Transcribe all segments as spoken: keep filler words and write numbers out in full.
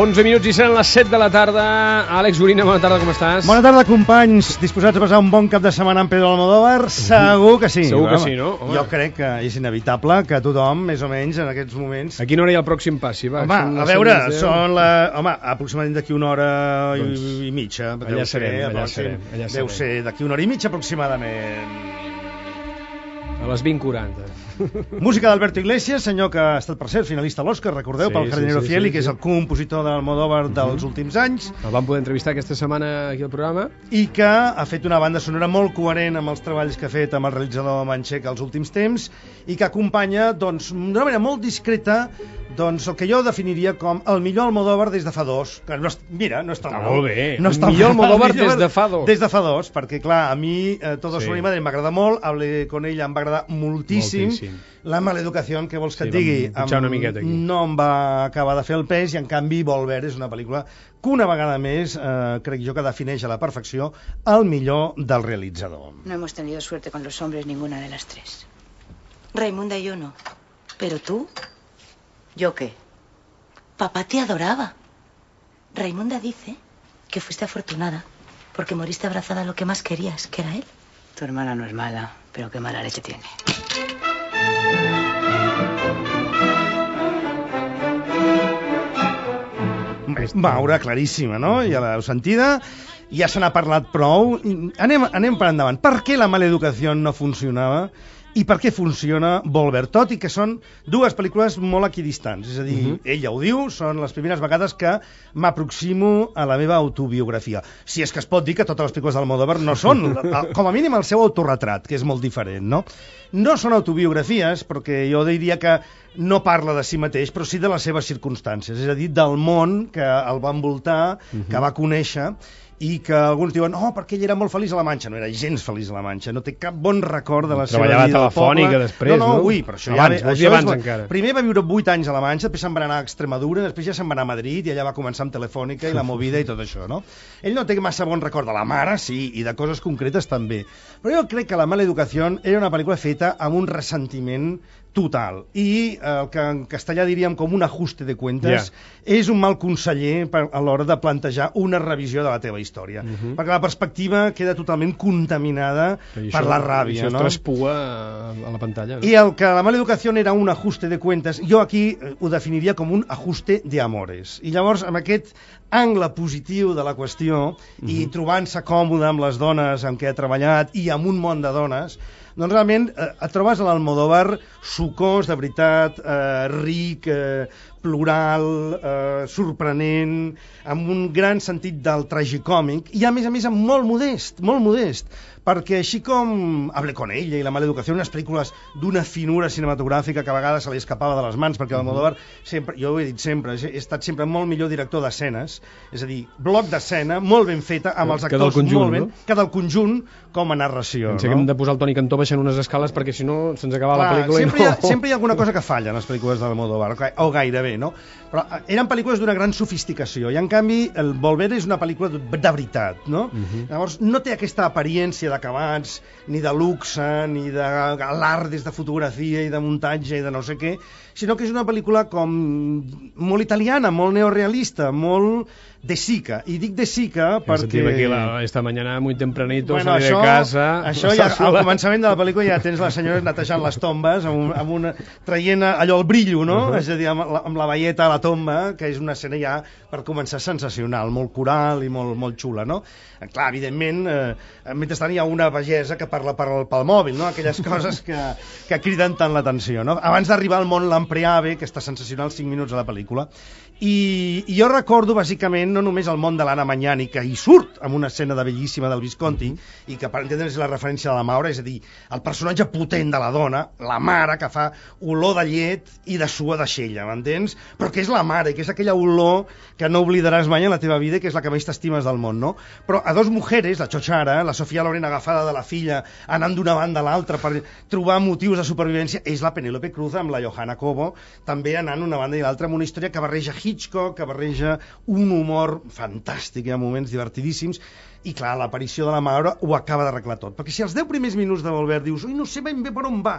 onze minuts i seran les set de la tarda. Àlex Gorina, bona tarda, com estàs? Bona tarda, companys. Disposats a passar un bon cap de setmana amb Pedro Almodóvar? Segur que sí. Segur que sí, no? Home. Jo crec que és inevitable que tothom, més o menys, en aquests moments... A quina hora hi ha el pròxim passi? Va, home, a veure, són la... Home, aproximadament d'aquí una hora doncs, i, i mitja. Allà serem, ser, allà serem. Allà deu serem. ser d'aquí una hora i mitja, aproximadament. A les vint quaranta. Música d'Alberto Iglesias, senyor que ha estat, per cert, finalista a l'Oscar, recordeu, sí, pel Jardinero sí, sí, Fiel, sí, que és sí. el compositor d'Almodóvar dels uh-huh. últims anys. El vam poder entrevistar aquesta setmana aquí al programa. I que ha fet una banda sonora molt coherent amb els treballs que ha fet amb el realitzador Manchek els últims temps i que acompanya, doncs, d'una manera molt discreta, doncs, el que jo definiria com el millor Almodóvar des de fa dos. Que no, mira, no està ah, mal. Molt bé. No està el millor mal. Almodóvar el millor des de fa dos. Des de fa dos, perquè, clar, a mi eh, Todo sí. sobre mi madre m'agrada molt, Hable con ella em va agradar moltíssim. moltíssim. La maleducació, que vols que sí, et digui, una miqueta aquí. no em va acabar de fer el pes i, en canvi, Volver és una pel·lícula que una vegada més, eh, crec jo que defineix a la perfecció el millor del realitzador. No hemos tenido suerte con los hombres ninguna de las tres. Raimunda y yo no. Pero tú, ¿yo qué? Papá te adoraba. Raimunda dice que fuiste afortunada porque moriste abrazada a lo que más querías, que era él. Tu hermana no es mala, pero qué mala leche tiene. Maura, claríssima, no? Ja l'heu sentida, ja se n'ha parlat prou. Anem, anem per endavant. Per què la maleducació no funcionava? I per què funciona Volver? Tot i que són dues pel·lícules molt equidistants. És a dir, uh-huh. ella ho diu, són les primeres vegades que m'aproximo a la meva autobiografia. Si és que es pot dir que totes les pel·lícules d'Almodóvar no són, com a mínim, el seu autorretrat, que és molt diferent, no? No són autobiografies, perquè jo diria que no parla de si mateix, però sí de les seves circumstàncies, és a dir, del món que el va envoltar, uh-huh. que va conèixer, i que alguns diuen, oh, perquè ell era molt feliç a la Manxa. No era gens feliç a la Manxa, no té cap bon record de la seva vida. Treballava a Telefònica després, no? No, no? Ui, però això abans, ja... Això abans és, encara. Primer va viure vuit anys a la Manxa, després se'n va anar a Extremadura, després ja se'n va anar a Madrid i allà va començar amb Telefònica i la movida i tot això, no? Ell no té massa bon record de la mare, sí, i de coses concretes també. Però jo crec que La mala educació era una pel·lícula feta amb un ressentiment total, i el que en castellà diríem com un ajuste de cuentes, yeah. és un mal conseller per, a l'hora de plantejar una revisió de la teva història, uh-huh. perquè la perspectiva queda totalment contaminada per això, la ràbia, això no? Això es traspua a la pantalla, no? I el que la mala educació era un ajuste de cuentes, jo aquí ho definiria com un ajuste de amores, i llavors amb aquest angle positiu de la qüestió, uh-huh. i trobant-se còmode amb les dones amb què ha treballat i amb un món de dones, doncs realment eh, et trobes a l'Almodóvar sucós, de veritat, eh, ric, eh, plural, eh, sorprenent, amb un gran sentit del tragicòmic, i a més a més amb molt modest, molt modest, perquè així com Hable con ella i La mala educació, unes pel·lícules d'una finura cinematogràfica que a vegades se li escapava de les mans, perquè l'Almodóvar sempre, jo ho he dit sempre, he estat sempre molt millor director d'escenes, és a dir, bloc d'escena, molt ben feta, amb els actors conjunt, molt ben, no? que del conjunt com a narració. Pensé no? que hem de posar el Toni Cantó baixant unes escales perquè si no se'ns acaba Clar, la pel·lícula sempre, i no... hi ha, sempre hi ha alguna cosa que falla en les pel·lícules d'Almodóvar, o gairebé, no? Però eren pel·lícules d'una gran sofisticació, i en canvi el Volver és una pel·lícula de, de veritat, no? Uh-huh. Llavors no té aquesta apariència d'acabats, ni de luxe, ni de alardes de fotografia i de muntatge i de no sé què, sinó que és una pel·lícula com molt italiana, molt neorealista, molt de Sica. I dic de Sica perquè... Aquí la, esta mañana muy tempranito bueno, salí això, de casa... Això ja, al començament de la pel·lícula ja tens les senyores netejant les tombes, amb, un, amb una, traient allò el brillo, no? Uh-huh. És a dir, amb la, amb la velleta a la tomba, que és una escena ja, per començar, sensacional, molt coral i molt, molt xula, no? Clar, evidentment, eh, mentrestant hi ha una pagesa que parla per, pel mòbil, no? Aquelles coses que, que criden tant l'atenció, no? Abans d'arribar al món Lampreave, que està sensacional cinc minuts a la pel·lícula, i, i jo recordo bàsicament no només el món de l'Anna Magnani, que hi surt amb una escena de bellíssima del Visconti, mm-hmm. i que per entendre's la referència de la Maura, és a dir, el personatge potent de la dona, la mare que fa olor de llet i de suor de xella, m'entens? Però que és la mare, que és aquella olor que no oblidaràs mai en la teva vida, que és la que més t'estimes del món, no? Però a dos mujeres, la Chochara, la Sofia Loren agafada de la filla, anant d'una banda a l'altra per trobar motius de supervivència, és la Penélope Cruz amb la Johanna Cobo, també anant d'una banda i l'altra, amb una història que barreja Hitchcock, que barreja un humor fantàstic, hi ha moments divertidíssims, i clar, l'aparició de la Maura ho acaba d'arreglar tot, perquè si els deu primers minuts de Volver dius, ui, no sé ben bé per on va,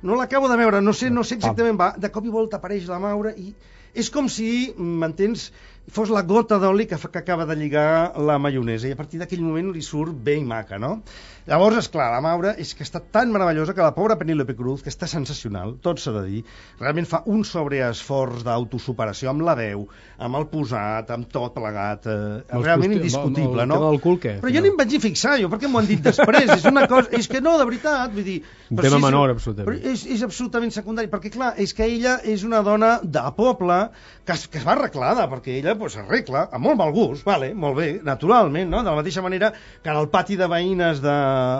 no l'acabo de veure, no sé, no sé exactament va, de cop i volta apareix la Maura i és com si, m'entens, fos la gota d'oli que, fa, que acaba de lligar la maionesa, i a partir d'aquell moment li surt bé i maca, no? Llavors, esclar, la Maura és que està tan meravellosa que la pobra Penélope Cruz, que està sensacional, tot s'ha de dir, realment fa un sobreesforç d'autosuperació amb la veu, amb el posat, amb tot plegat, eh, realment indiscutible, no? Cul, què? Però jo no em vaig fixar, jo, perquè m'ho han dit després, és una cosa, és que no, de veritat, vull dir... Un tema si menor, és, absolutament. És, és absolutament secundari, perquè clar, és que ella és una dona de poble que es, que es va arreglada, perquè ella pues, arregla amb molt mal gust, vale, molt bé, naturalment, no? De la mateixa manera que en el pati de veïnes de,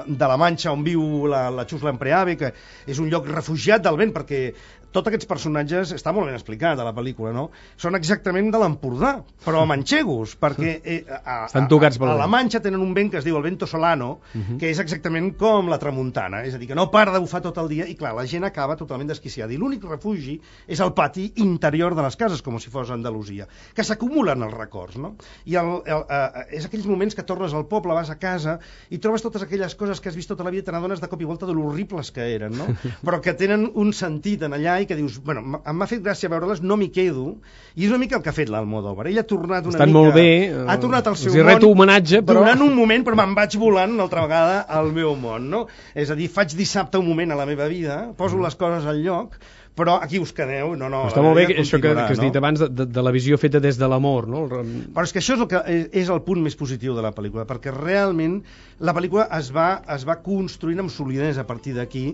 de la Manxa on viu la, la Xus Lampreave, que és un lloc refugiat del vent, perquè tots aquests personatges, està molt ben explicat a la pel·lícula, no? Són exactament de l'Empordà, però manxegos, perquè eh, a, estan tocats a, a, a la Manxa tenen un vent que es diu el vento solano, uh -huh. que és exactament com la tramuntana, és a dir, que no para de bufar tot el dia, i clar, la gent acaba totalment desquiciada, i l'únic refugi és el pati interior de les cases, com si fos Andalusia, que s'acumulen els records, no? I el, el, eh, és aquells moments que tornes al poble, vas a casa, i trobes totes aquelles coses que has vist tota la vida, te n'adones de cop i volta de l'horribles que eren, no? Però que tenen un sentit en allà, i que dius, bueno, m'ha fet gràcia veure-les, no m'hi quedo, i és una mica el que ha fet l'Almodóvar. Ell ha tornat una Estan mica... molt bé, ha tornat al seu els hi reto homenatge, però... durant un moment, però me'n vaig volant una altra vegada al meu món, no? És a dir, faig dissabte un moment a la meva vida, poso les coses al lloc, però aquí us quedeu, no, no... Està molt bé això que, que has dit abans de, de, de la visió feta des de l'amor, no? Però és que això és el, que és, és el punt més positiu de la pel·lícula, perquè realment la pel·lícula es va, es va construint amb solidesa a partir d'aquí.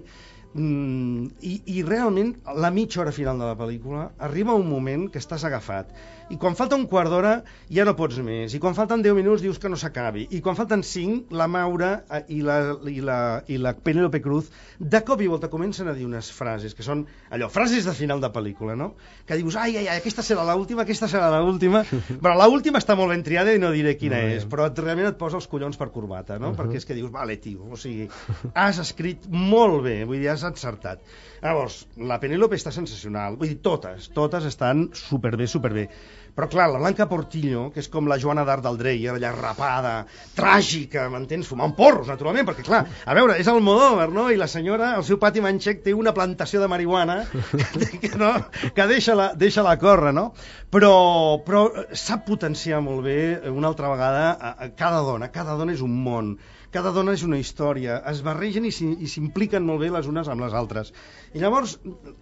Mm, i, i realment la mitja hora final de la pel·lícula arriba un moment que estàs agafat, i quan falta un quart d'hora ja no pots més, i quan falten deu minuts dius que no s'acabi, i quan falten cinc la Maura i la, i la, i la Penélope Cruz de cop i volta comencen a dir unes frases que són allò, frases de final de pel·lícula, no? Que dius, ai, ai, ai, aquesta serà l'última, aquesta serà l'última, però l'última està molt ben triada i no diré quina no, és, però realment et posa els collons per corbata, no? Uh -huh. Perquè és que dius, vale, tio, o sigui, has escrit molt bé, vull dir, has encertat. Llavors, la Penélope està sensacional, vull dir, totes, totes estan superbé, superbé. Però clar, la Blanca Portillo, que és com la Joana d'Arc del Dreyer, allà rapada, tràgica, m'entens? Fumant porros, naturalment, perquè clar, a veure, és Almodóvar, no? I la senyora, al seu pati manxec, té una plantació de marihuana que, que, no? que deixa-la deixa-la córrer, no? Però, però sap potenciar molt bé, una altra vegada, a, a cada dona. Cada dona és un món. Cada dona és una història, es barregen i s'impliquen molt bé les unes amb les altres. I llavors,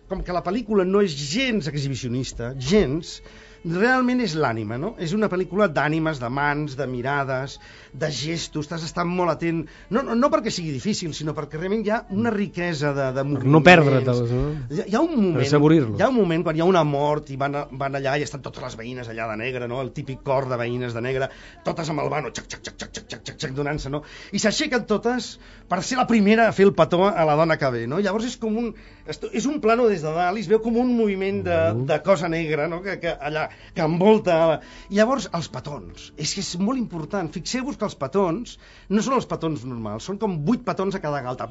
com que la pel·lícula no és gens exhibicionista, gens, realment és l'ànima, no? És una pel·lícula d'ànimes, de mans, de mirades, de gestos, t'has d'estar molt atent, no, no, no perquè sigui difícil, sinó perquè realment hi ha una riquesa de, de moviments. No perdre-te'ls, no? Hi ha, hi ha un moment, per assaborir-los. Hi ha un moment quan hi ha una mort i van, a, van allà i estan totes les veïnes allà de negre, no? El típic cor de veïnes de negre, totes amb el vano, xac, xac, xac, xac, xac, xac, xac, donant-se, no? I s'aixequen totes per ser la primera a fer el petó a la dona que ve, no? Llavors és com un... és un plano des de dalt i es veu com un moviment de, de cosa negra, no? Que, que allà, que envolta... I llavors, els petons. És que és molt important. Fixeu-vos que els petons no són els petons normals, són com vuit petons a cada galta.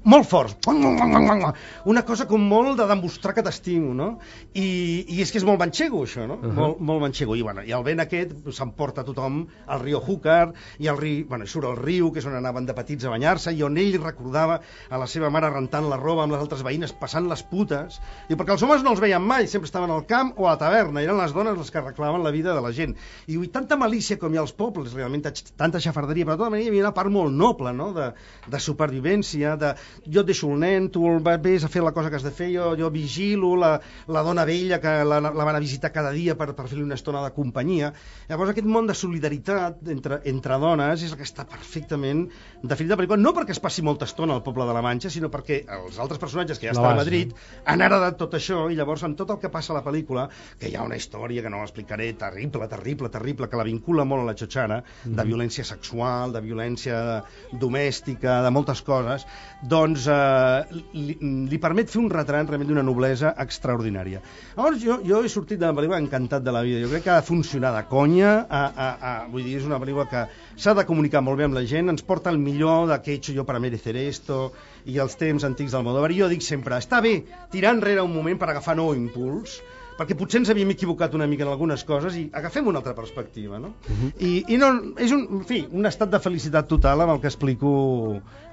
Molt forts. Una cosa com molt de demostrar que t'estimo, no? I, i és que és molt manxego, això, no? Uh -huh. Molt, molt manxego. I, bueno, i el vent aquest s'emporta tothom al riu Júcar, i el riu, bueno, surt al riu, que és on anaven de petits a banyar-se, i on ell recordava a la seva mare rentant la roba amb les altres veïnes, passant les putes, i perquè els homes no els veien mai, sempre estaven al camp o a la taverna, eren les dones les que reclamaven la vida de la gent. I ui, tanta malícia com hi ha als pobles, realment, tanta xafarderia, però de tota manera hi havia una part molt noble, no?, de, de supervivència, de jo et deixo el nen, tu el ves a fer la cosa que has de fer, jo, jo vigilo, la, la dona vella que la, la van a visitar cada dia per, per fer-li una estona de companyia. Llavors aquest món de solidaritat entre, entre dones és el que està perfectament definit a la pel·lícula, no perquè es passi molta estona al poble de la Manxa, sinó perquè els altres personatges que ja estan a Madrid han heredat tot això, i llavors amb tot el que passa a la pel·lícula, que hi ha una història que no l'explicaré, terrible, terrible, terrible, que la vincula molt a la xotxana, de violència sexual, de violència domèstica, de moltes coses, doncs eh, li, li permet fer un retrat realment d'una noblesa extraordinària. Llavors jo, jo he sortit de la pel·lícula encantat de la vida, jo crec que ha de funcionar de conya, a, a, a, vull dir, és una pel·lícula que s'ha de comunicar molt bé amb la gent, ens porta el millor de que he hecho jo para merecer esto, i els temps antics d'Almodóvar, i jo dic sempre, està bé tirar enrere un moment per agafar nou impuls, perquè potser ens havíem equivocat una mica en algunes coses i agafem una altra perspectiva, no? Uh-huh. I, i no, és un, en fi, un estat de felicitat total amb el que explico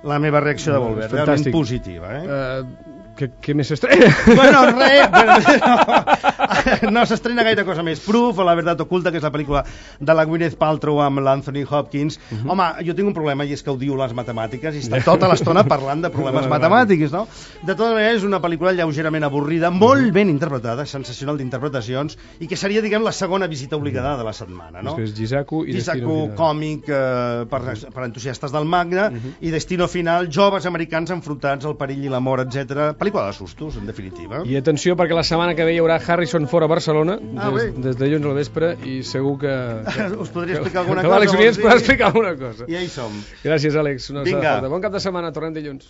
la meva reacció de Volver, realment positiva, eh? Uh, Què, què més s'estrena? Bueno, res, no, no s'estrena gaire cosa més. Proof o La verdad oculta, que és la pel·lícula de la Gwyneth Paltrow amb l'Anthony Hopkins. Uh -huh. Home, jo tinc un problema, i és que odio les matemàtiques, i està tota l'estona parlant de problemes matemàtics, no? De totes maneres, és una pel·lícula lleugerament avorrida, molt ben interpretada, sensacional d'interpretacions, i que seria, diguem, la segona visita obligada de la setmana, no? Després Gisaku i Destino Gisaku, Final. còmic eh, per, per entusiastes del manga, uh -huh. i Destino Final, joves americans enfrontats al perill i l'amor, etcètera. Pel·lícula de sustos, en definitiva. I atenció, perquè la setmana que ve hi haurà Harrison Ford a Barcelona, ah, des, des de dilluns al vespre, i segur que... que us podria explicar alguna que, cosa. Que l'Àlex Uriens podrà explicar alguna cosa. I ja hi som. Gràcies, Àlex. Una Vinga. Bon cap de setmana, tornem dilluns.